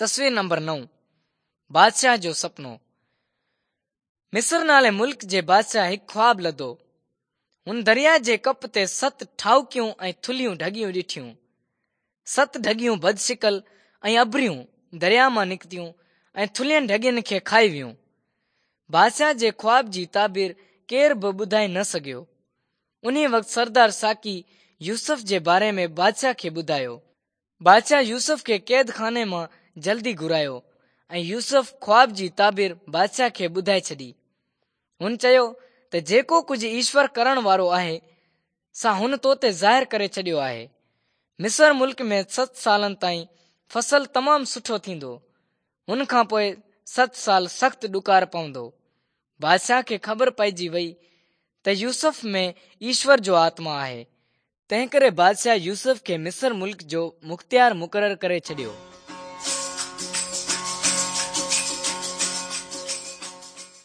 تصوير نمبر 9، بادشاهه جو سپنو. مصر نالي ملڪ جي بادشاهه هڪ خواب لڌو. هن درياء جي ڪپ تي ست ٺاهوڪيون ۽ ٿلهيون ڍڳيون ڏٺيون. ست ڍڳيون بدشڪل ۽ اڀريون درياء مان نڪتيون ۽ ٿلهين ڍڳين کي کائي ويون. بادشاهه جي خواب جي تعبير ڪير به ٻڌائي نه سگهيو. انهيء وقت سردار ساقي يوسف جي باري ۾ بادشاهه کي ٻڌايو. بادشاهه يوسف کي قيد خاني مان جلدي گهرايو ۽ يوسف خواب جي تعبير بادشاهه کي ٻڌائي ڇڏي. هن چيو ته جيڪو ڪجهه ايشور ڪرڻ وارو آهي، سا هن تو تي ظاهر ڪري ڇڏيو آهي. مصر ملڪ ۾ ست سالن تائين فصل تمام سٺو ٿيندو. هن کان پوء ست سال سخت ڏڪار پوندو. بادشاهه کي خبر پئجي وئي ته يوسف ۾ ايشور جو آتما آهي، تنهنڪري بادشاهه يوسف کي مصر ملڪ جو مختيار مقرر ڪري ڇڏيو.